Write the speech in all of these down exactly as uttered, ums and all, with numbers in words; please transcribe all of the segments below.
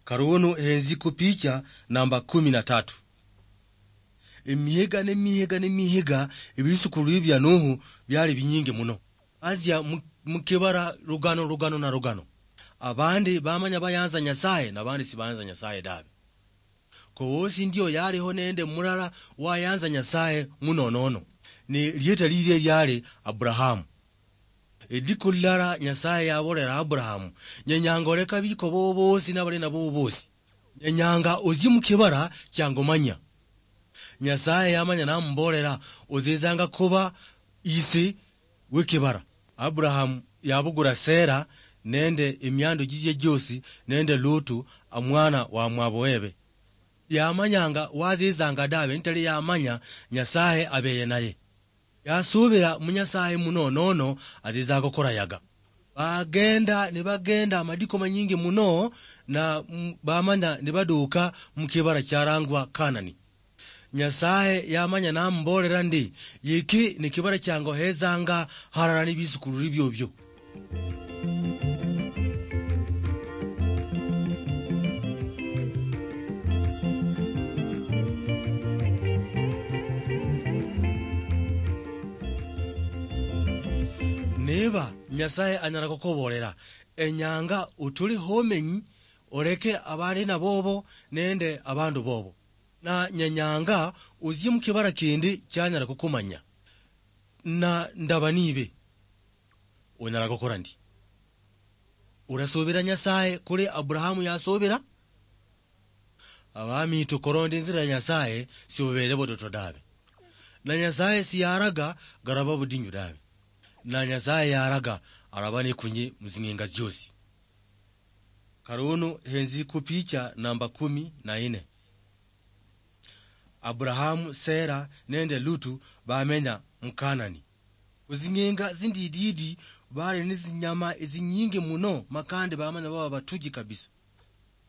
Karunu henzi ku picha namba kumi na tatu. Emihiga ne mihiga ne mihiga, ebisukulu bia Nuhu biali binyingi muno. Bazia mu, mu kibara lugano, lugano na lugano. Abandi bamanya bayanza Nyasaye, na bandi sibayanza Nyasaye dabe. Kowosi ndio yaliho nende mulala wayanza Nyasaye munonono. Ni lieta lilie liali Abrahamu. Ediku lilala Nyasaye yabolera Abrahamu, "Nyenyanga oleka biko bobo bosi nabali nabo bosi. Nyenyanga ozie mu kibara kiangomanya." Nyasaye yamanya namubolera, "Ozizanga kuba isi w'ekibara." Abrahamu yabugura Sera nende emiandu jijie jiosi nende Lutu, amwana wa mwabo webe. Yamanyanga wazizanga dabe, nitali yamanya Nyasaye abeye naye. Yasubira mu Nyasaye muno, nono azizanga okurayaga. Bagenda nibagenda amadiko manyingi muno, na, mm, bamanya nibaduka mu kibara kiarangwa Kanani. Nyasaye yamanya namubolera ndi, "Yiki ni kibara kiange ohezanga harara ni bisukulu biobio." Niba Nyasaye anyala kukubolera, "Enyanga otuli homenyi, oleke abali nabobo nende abandu bobo. Na nyenyanga ozie mu kibara kindi kianyala kukumanya, na ndaba nibe." Onyala kukora ndi? Urasubira Nyasaye kuli Abrahamu yasubira? Abami, tukoronda inzira ya Nyasaye, sibubeere budoto dabe. Na Nyasaye siyaraga garaba budinyu dabe. Na Nyasaye yaraga araba nikunyi muzing'inga ziosi. Karunu henzi ku picha namba kumi na ine. Abrahamu, Sera nende Lutu bamenya mu Kanani. Khuzing'inga zindididi bali nezinyama ezinyingi muno, makande bamanya baba batuji kabisa.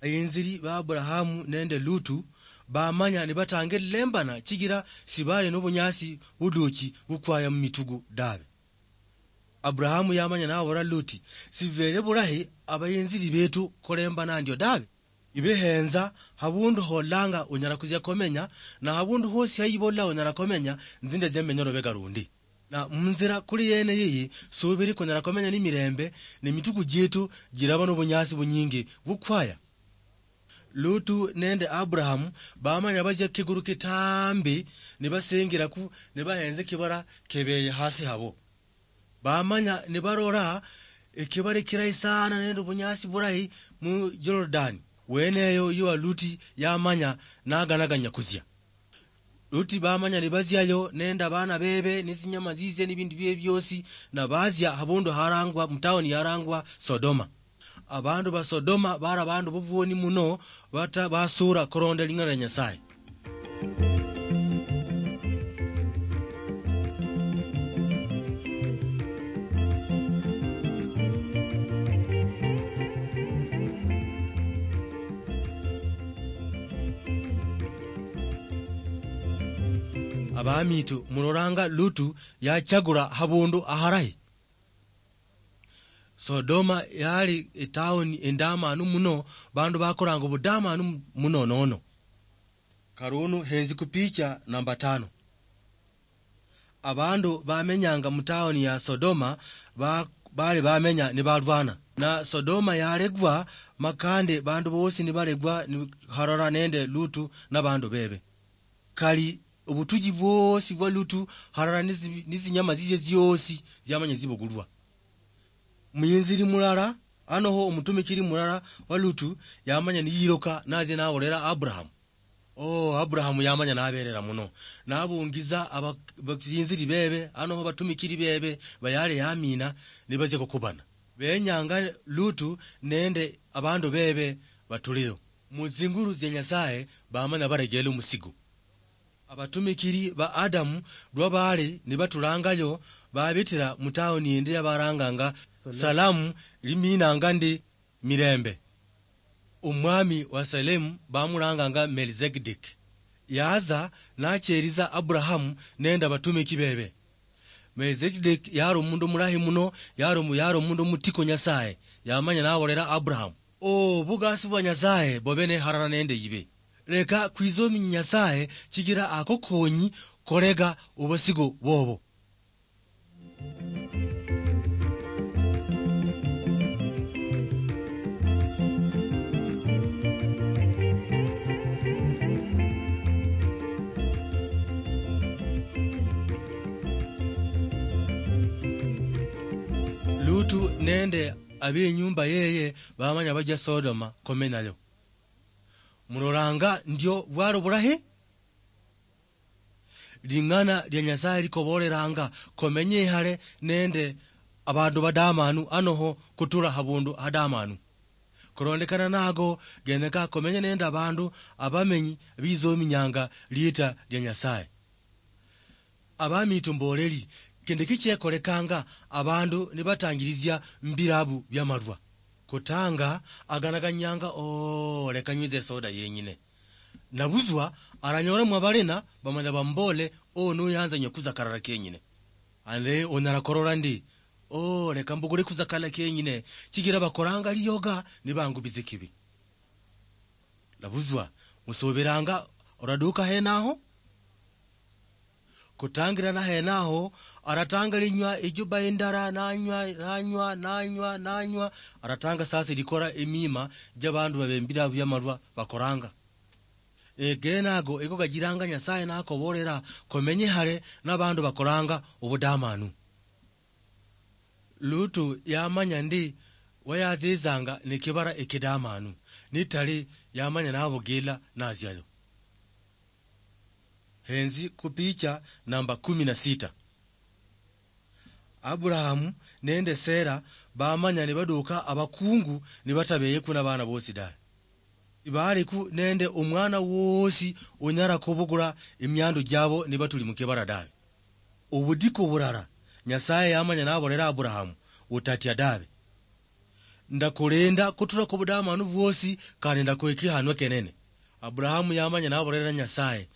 Bayinziri ba Abrahamu nende Lutu bamanya nibatanga elembana, chigira sibali nobunyasi buduchi bukwaya mumitugu dabe. Abrahamu yamanya nabola Luti, "Sibere bulahi abayinziri betu kulembana ndio dabe." Ibe henza, habundu holanga unyala kuzia komenya, na habundu hosi haibola unyala komenya, nzinde zemenya lubega lundi. Na munzira kuli yene yiyi, subiri kunyala komenya ni mirembe, ni mitugu jietu jiraba nobunyasi bunyingi bukwaya. Lutu nende Abrahamu bamanya bazia kiguru kitambi, nibasengiraku, nibahenze kibara kebeye hasi habo. Bamanya nibarora ekibara ekirahi sana nende obunyasi burahi mu Jordan. Weneyo yo Luti yamanya naganaganya kuzia. Luti bamanya nibaziayo nende abana bebe, nezinyama zizia, nebindu biebe biosi, na bazia habundu harangwa, mutaoni yarangwa Sodoma. Abandu ba Sodoma bari abandu bobwoni muno, bata-, basura kuronda ling'ana lia Nyasaye. Abamitu, muloranga Lutu yachagura habundu aharahi. Sodoma yali etauni endamanu muno, bandu bakoranga obudamanu muno nono. Karunu henzi ku picha namba tano. Abandu bamenyanga mu tauni ya Sodoma ba-, bali bamenya nibalwana. Na Sodoma yalegwa, makande bandu bosi nibalegwa ni-, harara nende Lutu nabandu bebe. Kali obutuji bwosi bwa Lutu, harara nizi-, nizinyama ziye ziosi ziamanya zibugulwa. Muyinziri mulala, anoho omutumikiri mulala wa Lutu, yamanya niyiroka, nazia nabolera Abrahamu. Oh, Abrahamu yamanya naberera muno. Nabungiza aba-, bayinziri bebe, anoho batumikiri bebe, bayale yamina, nibazia kukubana. Benyanga Lutu nende abandu bebe batuliyo. Mu zingulu zia Nyasaye, bamanya baregele omusigo. Abatumikiri ba Adamu lwa bali nibatulangayo, babitira mu tauni yindi yabaranganga Salamu, liminanga ndi mirembe. Omwami wa Salemu bamulanganga Melkizedeki. Yaza nacheriza Abrahamu nende abatumiki bebe. Melkizedeki yari omundu mulahi muno, yari omu-, yari omundu mutiko Nyasaye, yamanya nabolera Abrahamu. Obugasi bwa Nyasaye bobe neharara nende ibe. Leka kwizomi Nyasaye, chigira ako konyi korega obosigo bobo. Lutu nende ab'enyumba yeye bamanya baja Sodoma komenayo. Mulolanga ndio bwali bulahi? Ling'ana lia Nyasaye likoboleranga komenye ihale nende abandu badamanu anoho kutula habundu hadamanu. Korondekana nago, genyeka komenye nende abandu abamenyi bizominyanga liita lia Nyasaye. Abamitu mboleli, kindi kichekorekanga abandu nibatangilizia mbilabu bia malwa. Kutanga aganaganyanga, "Oh, leka nywize soda yenyine." Nabuzwa, aranyola mwa balina, bamanya bambole, "Oh, nuyanza nywe kuza karara kenyine." Ande onyala korora ndi, "Oh, leka mbugule kuza kala kenyine, chigira bakoranga liyoga, nibangubize kibi." Nabuzwa, musubiranga oraduka henaho? Kutangirana henaho, aratanga linywa ejuba endara, nanywa, nanywa, nanywa, nanywa, aratanga sasa likora emima jabandu babembira bia malwa bakoranga. Egene ago ego gajiranga Nyasaye nakobolera komenye hale nabandu bakoranga obudamanu. Lutu yamanya ndi wayazizanga nikibara ekidamanu, nitali yamanya nabugila naziayo. Henzi kupicha namba kumi na sita. Aburahamu nende Sera bamanya nibaduka abakungu nibatabeye kuna bana bosi dawe. Ibaliku nende omwana wosi onyala kubugula emiandu jabo nibatuli mukibara dawe. Obudiko burara, Nyasaye yamanya naborera Aburahamu, "Otatia dawe. Ndakulinda kutula kubudamanu bwosi, kandi ndakuha ekihanwa kenene." Aburahamu yamanya naborera Nyasaye,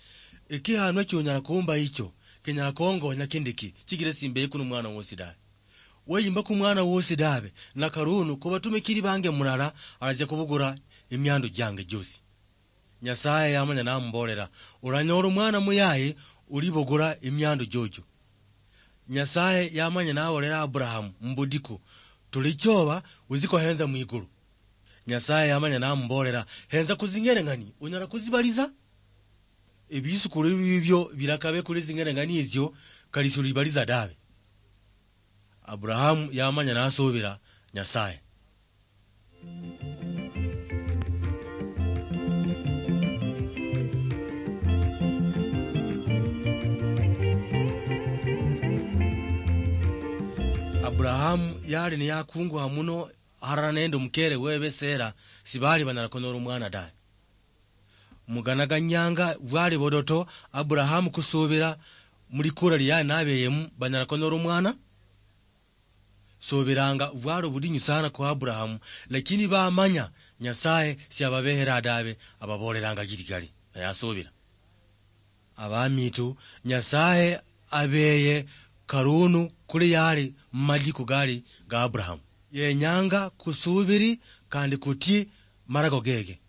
"Ekihanwa chionyala kumba icho, kinyala kongonya kindiki, chigira simbeyi kuno mwana wosi dawe. Weyimba ku mwana wosi dawe, na karunu kubatumikiri bange mulala, arazia kubugura emiandu jange josi." Nyasaye yamanya namubolera, "Oranyola omwana muyayi, olibogora emiandu jojo." Nyasaye yamanya nabolera Aburahamu mubudiko, "Tula ichoba, ozi kohenza mwigulu." Nyasaye yamanya namubolera, "Henza kuzing'ereng'ani, onyala kuzibaliza?" Ebisukulu bibio birakabe kuli zing'ereng'ani izio, kali sulibaliza dabe. Aburahamu yamanya nasubira Nyasaye. Aburahamu yali niyakunguha muno harara nende omukere wewe Sera, sibali banyala kunyora omwana dawe. Muganaganyanga bwali bodoto, Aburahamu kusubira mulikura liyali nabeyemu banyala kunyora omwana. Subiranga bwali obudinyu sana kwa Aburahamu, lakini bamanya Nyasaye siababehera dabe, ababoleranga giligali, naye asubira. Abamitu, Nyasaye abeye karunu kuli yali mumaliko gali ga Aburahamu. Yenyanga kusubiri kandi kutii marago gege.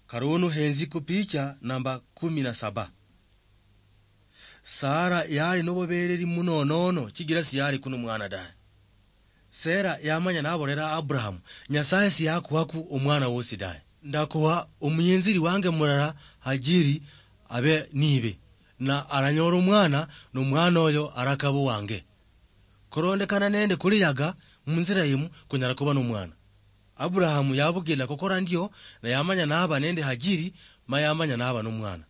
Karunu henzi ku picha namba kumi na saba. Sara yali nobubereri muno nono, chigira siyali kuno mwana daye. Sera yamanya nabolera Abrahamu, "Nyasaye siyakuhaku omwana wosi daye. Ndakuha omuyinziri wange mulala Hajiri abe nibe, na aranyola omwana, nomwana oyo arakaba owange." Korondekana nende kuli yaga, munzira yimu kunyala kuba nomwana. Abrahamu yabugila kukora ndio, na yamanya naba nende Hajiri, ma yamanya naba nomwana.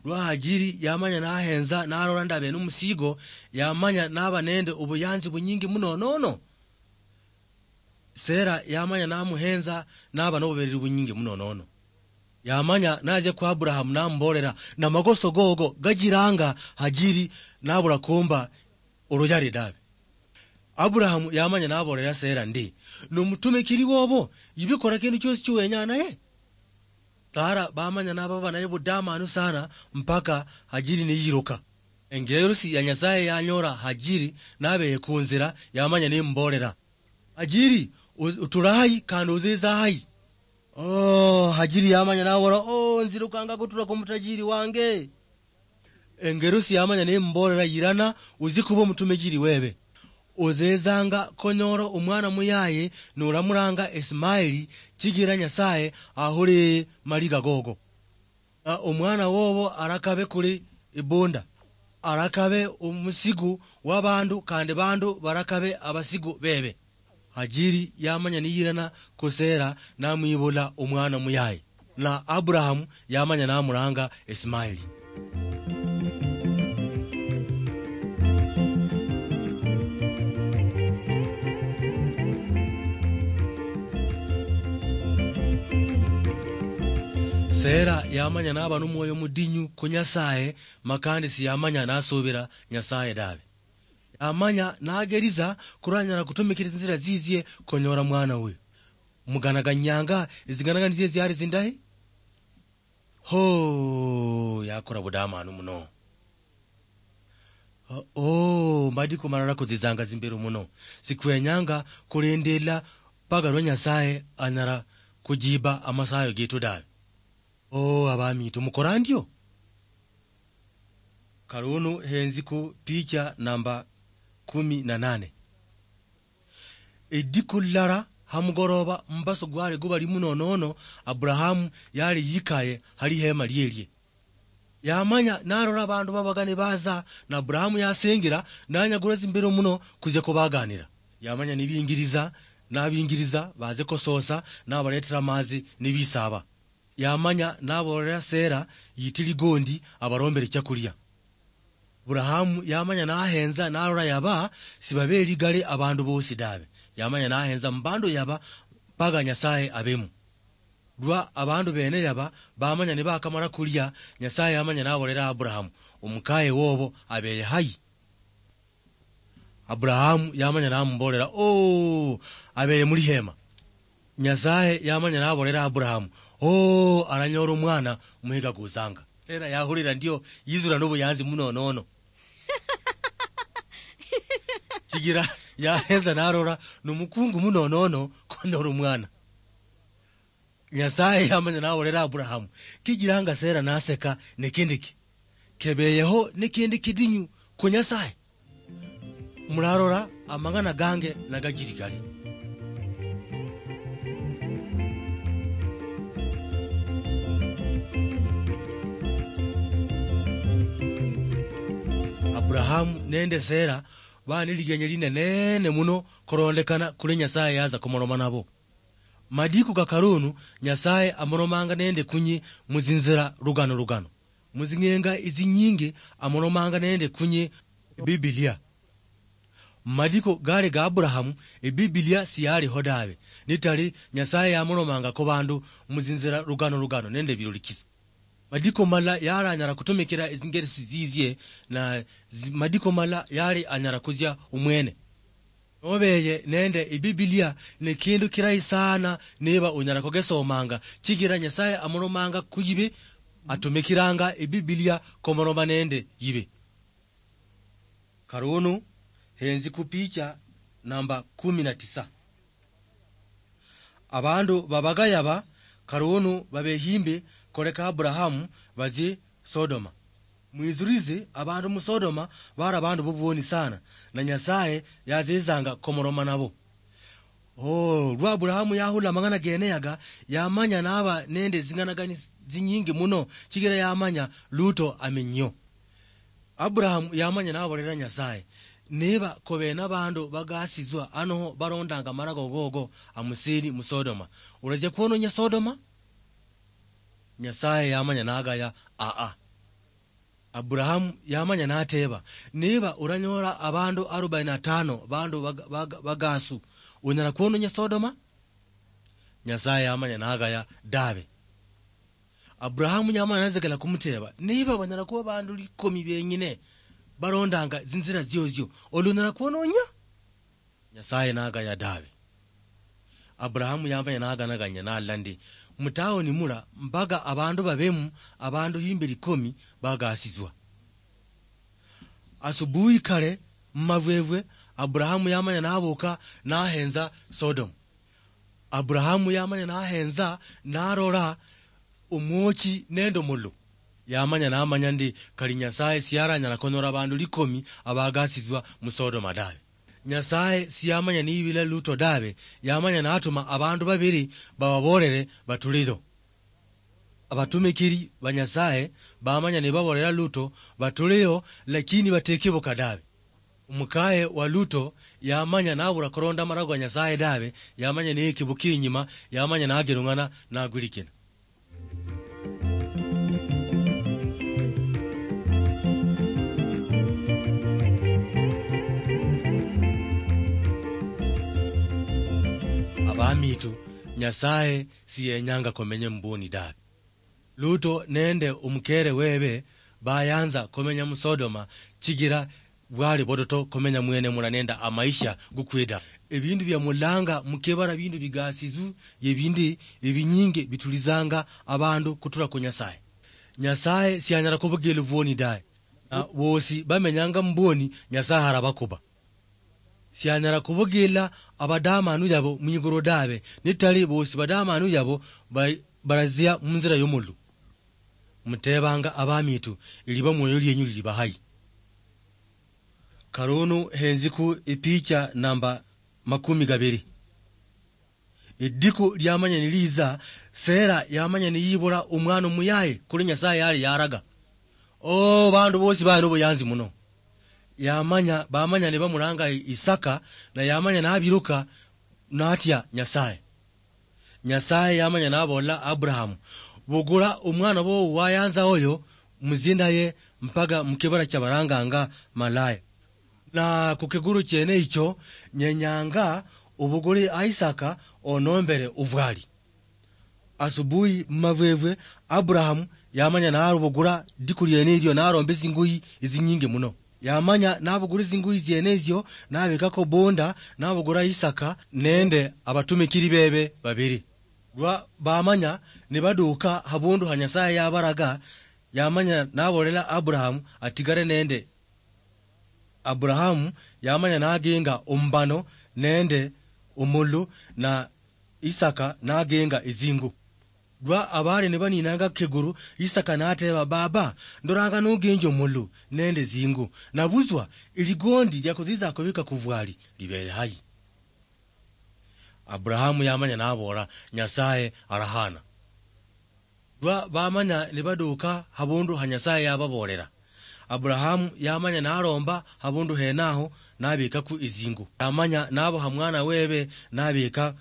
Lwa Hajiri yamanya nahenza, nalola ndabe nomusigo, yamanya naba nende obuyanzi bunyingi muno nono. Sera yamanya namuhenza, naba nobubereri bunyingi muno nono. Yamanya naja kwa Abrahamu namubolera, na magoso gogo gajiranga Hajiri nabula kumba oluyali dabe. Abrahamu yamanya nabolera Sera ndi, "Nomutumikiri wobo, yibikora kindu kiosi chiwenya naye." Sara bamanya nababa naye budamanu sana mpaka Hajiri niyiruka. Engelusi ya Nyasaye yanyora Hajiri nabeye kunzira, yamanya nimubolera, "Hajiri, O-, otula hayi, kandi oziza hayi? Oh, Hajiri yamanya nabola, "Oh, nzirukanga kutula ku mutajiri wange." Engerusi yamanya nembolela, "Yirana, ozie kuba omutumejiri webe. Ozezanga konyola omwana muyaye, nolamulanga Ismaili, chigira Nyasaye ahole maliga gogo. Na omwana wobo arakabe kuli ibunda, arakabe omusigu wa bandu, kandi bandu barakabe abasigu bebe." Hajiri yamanya niyirana ku Sera namwibula omwana muyaye. Na Aburahamu yamanya namulanga Ismaili. Sera yamanya naba nomwoyo mudinyu ku Nyasaye, ma kandi siyamanya nasubira Nyasaye dabe. Yamanya nageriza kuranyala kutumikira zinzira zizie konyora mwana uyu. Muganaganyanga ezinganagani zie ziali zindahi? Ho, yakora budamanu muno. Oh, madiko malala kuzizanga zimbiro muno. Sikwenyanga kulindila mpaka lwa Nyasaye anyala kujiba amasayo getu dawe. Oh, abamitu, mukora ndio? Karunu henzi ku picha namba kumi na nane. Ediku lilala hamugoroba, mbaso gwali gubali munonono, Aburahamu yali yikaye hali hema lielie. Yamanya narora abandu babaga nibaza, na Aburahamu yasingira, nanyagura zimbiro muno kuzia kubaganira. Yamanya nibingiriza, nabingiriza, baze kososa, nabaletera amazi, nibisaba. Yamanya nabolera Sera yiti ligondi abarombere chakulia. Aburahamu yamanya nahenza narora yaba sibabeli gale abandu bosi dabe. Yamanya nahenza mubandu yaba mpaka Nyasaye abemu. Lwa abandu bene yaba bamanya nibakamala kulia, Nyasaye yamanya nabolera Aburahamu, "Omukaye wobo abeye hayi?" Aburahamu yamanya namubolera, "Oh, abeye mulihema." Nyasaye yamanya nabolera Aburahamu, "Oh, aranyola omwana muhiga guzanga." Era yahulira ndio yizura nobuyanzi munonono. Chigira yahenza narora nomukungu munonono konyora omwana. Nyasaye yamanya nabolera Aburahamu, "Kijiranga Sera naseka nikindi ki? Kebeyeho nikindi kidinyu ku Nyasaye? Murarora amang'ana gange nagajiri gari." Aburahamu nende Sera bali niligenye linenene muno korondekana kuli Nyasaye yaza kumoloma nabo. Madiku ga karunu, Nyasaye amolomanga nende kunyi muzinzira lugano lugano. Muzing'enga izinyingi amolomanga nende kunyi Bibilia. Madiku gale ga Aburahamu, Ebibilia siyaliho dabe. Nitali, Nyasaye yamolomanga ku bandu muzinzira lugano lugano nende birulikiso. Madiko mala yali anyala kutumikira ezingeresi zizie, na zi-, madiko mala yali anyala kuzia umwene. Nobeye nende Ebibilia, ne kindu kirayi sana niba unyala kugesomanga, chigira Nyasaye amulomanga kuyibe, atumikiranga Ebibilia komoloma nende yibe. Karunu, henzi ku picha namba kumi na tisa. Abandu babagaya ba karunu babehimbi koleka Aburahamu bazie Sodoma. Mwizurize, abandu mu Sodoma bari abandu bobwoni sana, na Nyasaye yazizanga komoroma nabo. Oh, lwa Aburahamu yahula amang'ana gene yaga, yamanya naba nende zing'anagani zinyingi muno, chigira yamanya Luto amenyio. Aburahamu yamanya nabolera Nyasaye, "Niba kobe nabandu bagasizwa anoho barondanga amarago gogo amusiri mu Sodoma, urazia kwononya Sodoma?" Nyasaye yamanya nagaya, "Aa." Aburahamu yamanya nateba, "Niba uranyola abandu arobaini na tano bandu bag-, bag-, bagasu, unyala kwononya Sodoma?" Nyasaye yamanya nagaya, "Dabe." Aburahamu yamanya nazekela kumuteba, "Niba banyala kuba bandu likomi benyine barondanga zinzira ziozio, oli unyala kwononya?" Nyasaye nagaya, "Dabe." Aburahamu yamanya naganaganya nalandi, "Mutaoni mula mbaga abandu babemu abandu himbi likomi bagasizwa." Asubuhi kare mumavwevwe, Aburahamu yamanya nabuka nahenza Sodom. Aburahamu yamanya nahenza, narola omwochi nende omululu. Yamanya namanya ndi kali Nyasaye siyaranyala konyora abandu likomi abagasiswa mu Sodoma dabe. Nyasaye siyamanya niyibila Luto dabe, yamanya natuma abandu babiri bababolere batuleyo. Abatumikiri ba Nyasaye bamanya nibabolera Luto batuleyo, lakini bateke buka dabe. Omukaye wa Luto yamanya nabura koronda amalago ga Nyasaye dabe, yamanya nekibuka inyima, yamanya nagerung'ana nagwilikina. Abamitu, Nyasaye siyenyanga komenye mubwoni dabe. Luto nende omukere webe bayanza komenya mu Sodoma, chigira bwali bodoto komenya mwene mula nende amaisha gukweda. Ebindu bia mulanga mukebara bindu bigasizu ye bindi ebinyinge bitulizanga abandu kutura ku Nyasaye. Nyasaye sianyala kubugila obwoni daye. Na bosi bamenyanga mubwoni, Nyasaye arabakuba. Sianyala kubugila abadamanu yabo mwigulu dabe, nitali bosi badamanu yabo ba-, barazia munzira yomulu. Mutebanga abamitu, iliba mwoyo lienyu lili bahayi. Karunu henziku ipicha namba makumi gabiri. Ediku liamanya niliza, Sera yamanya niyibula omwana omuyaye kuli Nyasaye yali yaraga. O, bandu bosi bali nobuyanzi muno. Yamanya, bamanya nibamulanga Isaka, na yamanya nabiruka natia Nyasaye. Nyasaye yamanya nabola Aburahamu, "Bugula omwana wowo wayanza oyo, muzindaye mpaka mukibira kyabaranganga Malaya. Na kukiguru kyene ekyo, nyenyanga obugule Isaka onombere obwali." Asubuhi mumavwevwe, Aburahamu yamanya narubugula diku lyene elyo naromba ezinguyi ezinyingi muno. Yamanya nabugula ezinguyi ziene ezio, nabekako bunda, nabugula Isaka nende abatumikiri bebe babiri. Lwa bamanya nibaduka habundu ha Nyasaye yabaraga, yamanya nabolela Aburahamu atigare nende Aburahamu yamanya nagenga omubano nende omulu, na Isaka nagenga ezingu. Lwa abali nibaninanga keguru, Isaka nateba, "Baba, ndoranga nogenja omulu nende ezingu, nabutswa eligondi liakutsitsa kubika kuvwali libere hayi?" Aburahamu yamanya nabola, "Nyasaye arahana." Lwa bamanya nibaduka habundu ha Nyasaye yababolela, Aburahamu yamanya nalomba habundu henaho nabekaku ezingu. Yamanya naboha mwana webe nabeka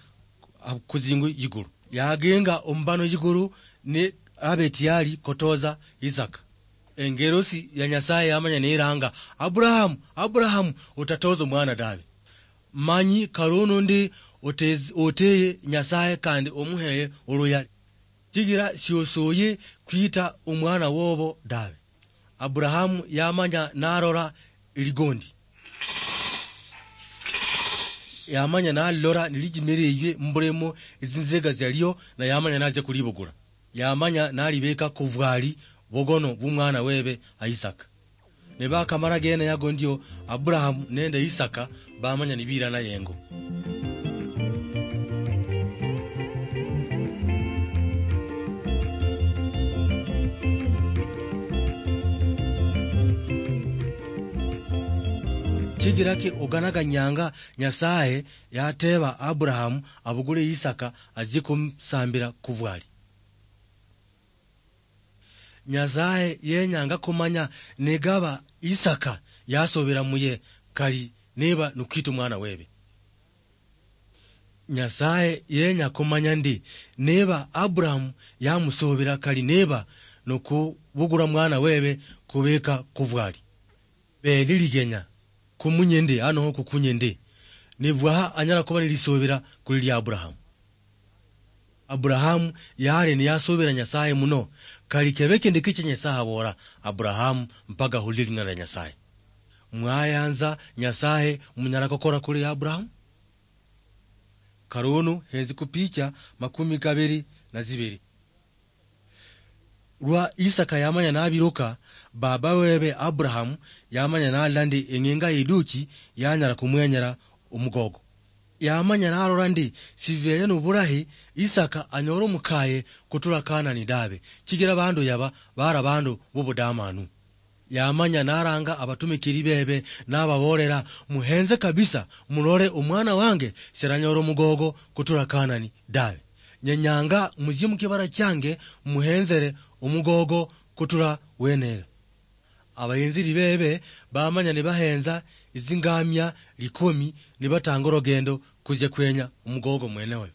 kuzingu yigulu. Yagenga omubano yigulu ni abe tiyari kotoza Isaka. Engerosi ya Nyasaye yamanya niranga, "Aburahamu, Aburahamu, otatoza omwana dabe. Manyi karono ndi otez-, oteye Nyasaye kandi omuheye oluyali. Chigira siosoye kwita omwana wobo dabe." Aburahamu yamanya narora eligondi. Yamanya nalilora nilijimireywe mubulemo ezinzega zialio, na yamanya natsia kulibugula. Yamanya nalibeka kuvwali bogono bwomwana webe Isaka. Nibakamala gene yago ndio, Aburahamu nende Isaka bamanya nibirana yengo. Chigira ki oganaganyanga Nyasaye yateba Aburahamu abugule Isaka atsie kumusambira kuvwali? Nyasaye yenyanga kumanya nigaba Isaka yasubira muye kali niba nukwita omwana webe. Nyasaye yenya kumanya ndi niba Aburahamu yamusubira kali niba nukubugula mwana webe kubika kuvwali. Be niligenya kumunye ndi, anoho kukunye ndi, nibwaha anyala kuba nilisubira kuli lia Aburahamu. Aburahamu yali niyasubira Nyasaye muno, kali kebe kindi kicha Nyasaye abola Aburahamu mpaka ahulire lina lia Nyasaye. Mwayanza Nyasaye munyala kukora kuli Aburahamu? Karunu henzi kupicha makumi kabiri na zibiri. Lwa Isaka yamanya nabiruka, baba webe Aburahamu yamanya nalala ndi eng'enga iduchi yanyala kumwenyera omugogo. Yamanya narora ndi siveye nobulahi Isaka anyole omukaye kutula Kanani dabe, chigira bandu yaba bara bandu bobudamanu. Yamanya naranga abatumikiri bebe nababolera, "Muhenze kabisa, mulole omwana wange seranyora omugogo kutula Kanani dabe. Nyenyanga muzie mukibara change muhenzere omugogo kutula wenera." Abayenziri bebe bamanya nibahenza izingamia likomi nibatanga orogendo kuzia kwenya omugogo mwene oyo.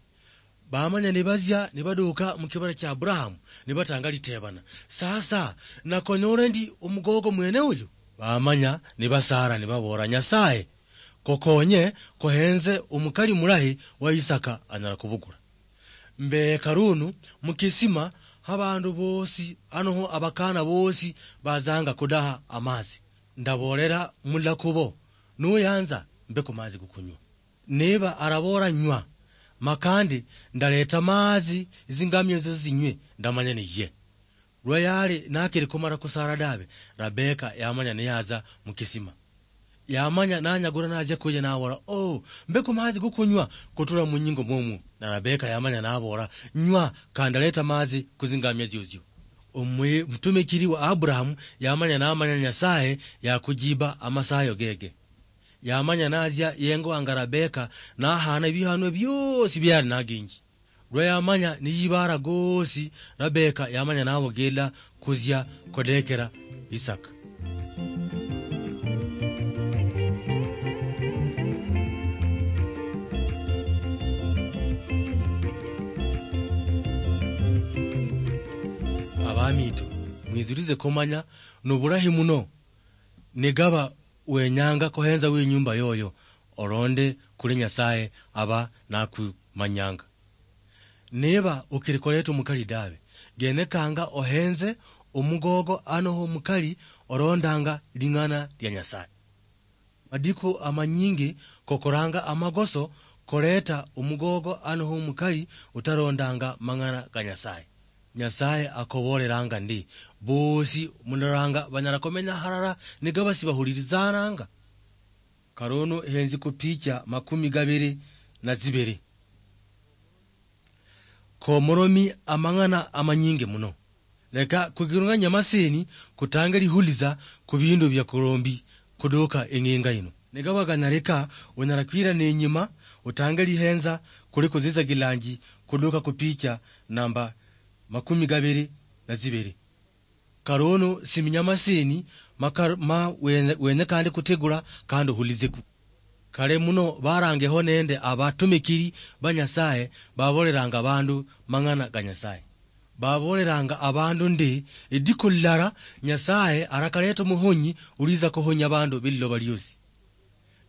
Bamanya nibazia nibaduka mukibara cha Aburahamu nibatanga litebana, "Sasa nakonyole ndi omugogo mwene oyo?" Bamanya nibasara nibabora, "Nyasaye kokonye kohenze omukali mulahi wa Isaka anyala kubugula." Mbe karunu mukisima habandu bosi anoho abakana bosi bazanga kudaha amazi. Ndabolera mulakubo, "Nuyanza mbe kumazi gukunywa." Niba arabora, "Nywa," makandi ndaleta mazi zingamia zio zinywe, ndamanya niye. Lwa yali nakiri kumara kusara dabe, Rabeka yamanya niyaza mukisima. Yamanya nanyagura nazia kuye nabola, "Oh, mbe kumazi gukunywa kutula munyingo mwomu." Na Rabeka yamanya nabola, "Nywa, kandi ndaleta mazi kuzingamia ziozio." Omwi-, omutumikiri wa Aburahamu yamanya namanya Nyasaye yakujiba amasayo gege. Yamanya nazia yengo wanga Rabeka nahana ebihanwa biosi biali naginji. Lwa yamanya niyibara gosi, Rabeka yamanya nabogela kuzia kodekera Isaka. Abamitu, mwizurize komanya nobulahi muno. Nigaba wenyanga kohenza winyumba yoyo, olonde kuli Nyasaye aba nakumanyanga. Niba ukiri koleta omukali dabe, genekanga ohenze omugogo anoho omukali olondanga ling'ana lia Nyasaye. Madiku amanyingi kokoranga amagoso koleta omugogo anoho omukali utarondanga mang'ana ga Nyasaye. Nyasaye akoboleranga ndi, bosi muloranga banyala komenya harara nigaba sibahulirizananga. Karunu henzi kupicha makumi gabiri na zibiri. Komoromi amang'ana amanyingi muno. Leka kugirung'anya maseni kutange lihuliza ku bindu bia kurombi kuduka eng'inga ino. Nigaba ganyalika, unyala kwira nenyima utange lihenza kuli kuziza gilanji kuduka ku picha namba makumi gabiri na zibiri. Karunu siminya maseni ma kar-, ma wenye, wenye kandi kutegula kandi ohulizeku. Kale muno barangeho nende abatumikiri ba Nyasaye baboleranga abandu mang'ana ga Nyasaye. Baboleranga abandu ndi, ediku lilara Nyasaye arakaleta omuhonyi uliza kuhonya abandu bililoba liosi.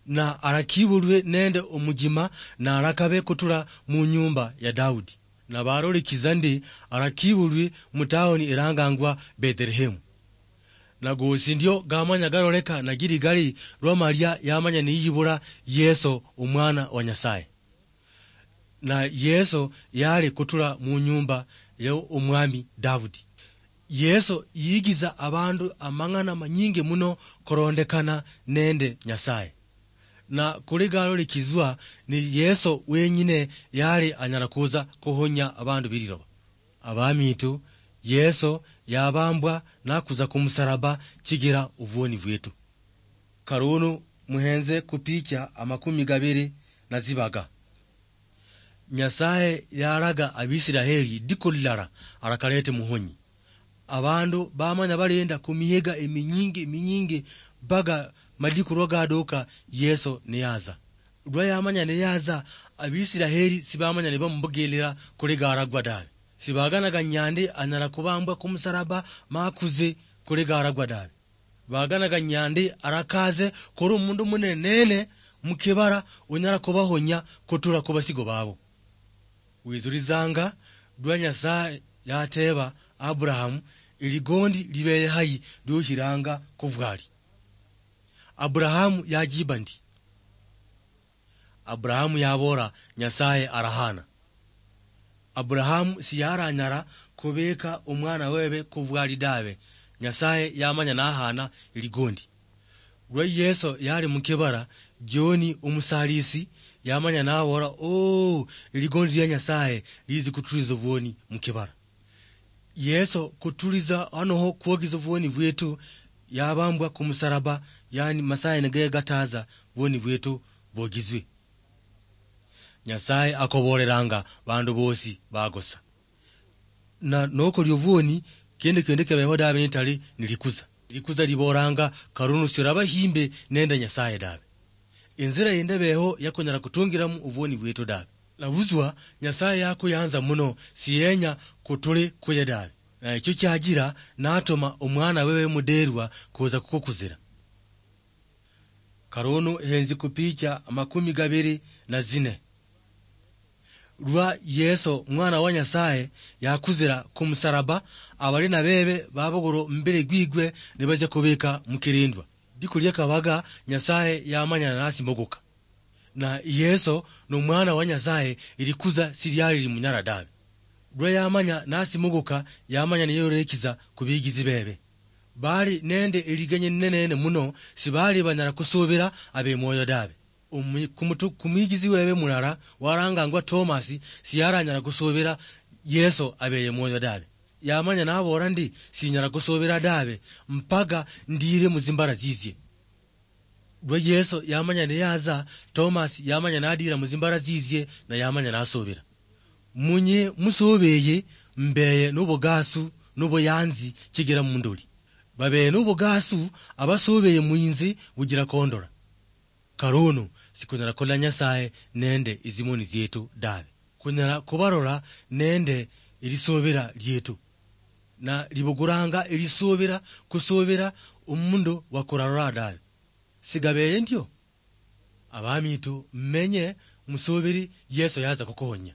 Na arakibulwe nende omujima na arakabe kutura mu nyumba ya Daudi. Na barolekiza ndi arakibulwe mu taoni irangangwa Bethlehemu. Na gosi ndio gamanya garoleka na giri gari lwa Maria yamanya niyibula Yeso omwana wa Nyasaye. Na Yeso yali kutura mu nyumba ya omwami Daudi. Yeso yigiza abandu amang'ana manyingi muno korondekana nende Nyasaye. Na kuli galolekizwa ni Yeso wenyine yali anyala kuza kuhonya abandu bililoba. Abamitu, Yeso yabambwa nakuza kumusalaba chigira obwoni bwetu. Karunu muhenze ku picha amakumi gabiri na zibaga. Nyasaye yalaga Abisiraheli diko lilala arakalete muhonyi. Abandu bamanya balinda ku mihiga eminyingi, eminyingi, baga madiku lwa gaduka Yeso niyaza. Lwa yamanya niyaza, Abisiraheli sibamanya nibamubugelera kuli garagwa dawe. Sibaganaga nyandi anyala kubambwa kumusalaba makuze kuli garagwa dawe. Baganaga nyandi arakaze kuri omundu munenene mukibara unyala kubahonya kutura kubasigo babo. Wizurizanga lwa Nyasaye yateba Aburahamu, "Eligondi libeye hayi liohiranga kuvwali?" Aburahamu yajiba ndi, Aburahamu yabora, "Nyasaye arahana." Aburahamu siyaranyara kubeka omwana webe kuvwali dawe. Nyasaye yamanya nahana eligondi. Lwa Yeso yali mukibara, John omusalisi Yamanya naboola, "Oo, eligondi lia Nyasaye liizi kutuliza obwoni mukibala." Yeso kutuliza anoho kwogiza obwoni bwetu, yabambwa kumusalaba, yani Masaye nigaye gataza bwoni bwetu bwogizwe. Nyasaye akobolelanga bandu bosi bagosa. Na nokoli obwoni, kende kende kebeho dabe nitali nilikuza. Likuza libolanga, "Karunu siraba himbe nende Nyasaye dabe." Inzira yindi ebeho yakunyala kutungiramu obwoni bwetu dabe. Nabuzwa Nyasaye yakuyanza muno, siyenya kutuli kuye dabe. Na ekyo kyajira natuma omwana wewe muderwa kuza kukukuzira. Karunu henzi kupicha amakumi gabiri na zine. Lwa Yeso, mwana wa Nyasaye, yakuzira kumusalaba, abali na bebe babugura omubiri gwigwe nibaja kubika mukirindwa. Diku lia kabaga, Nyasaye yamanya nasi muguka. Na Yeso no mwana wa Nyasaye, ilikuza siliali limunyala dabe. Lwa yamanya nasi muguka, yamanya niyorekiza kubigizi bebe. Bali nende eligenye linenene muno, sibali banyala kusubira abe mwoyo dabe. Omu-, kumutu-, kumwigizi webe mulala warangangwa Tomasi siyaranyala kusubira Yeso abeye mwoyo dabe. Yamanya nabora ndi, "Sinyala kusubira dabe mpaka ndire muzimbara zizie." Lwa Yeso yamanya niyaza, Tomasi yamanya nadira muzimbara zizie, na yamanya nasubira. Munye musubeye mbeye nobugasu, nobuyanzi chigira mundoli. Babeye nobugasu abasubeye mwinzi bugira kondora. Karono, sikunyala kulola Nyasaye nende ezimoni zietu dabe. Kunyala kubarola nende elisubira lietu. Na libuguranga elisubira, kusubira omundu wakurarola dabe. Sigabeye ndio? Abamitu, mmenye musubiri Yeso yaza kukuhonya.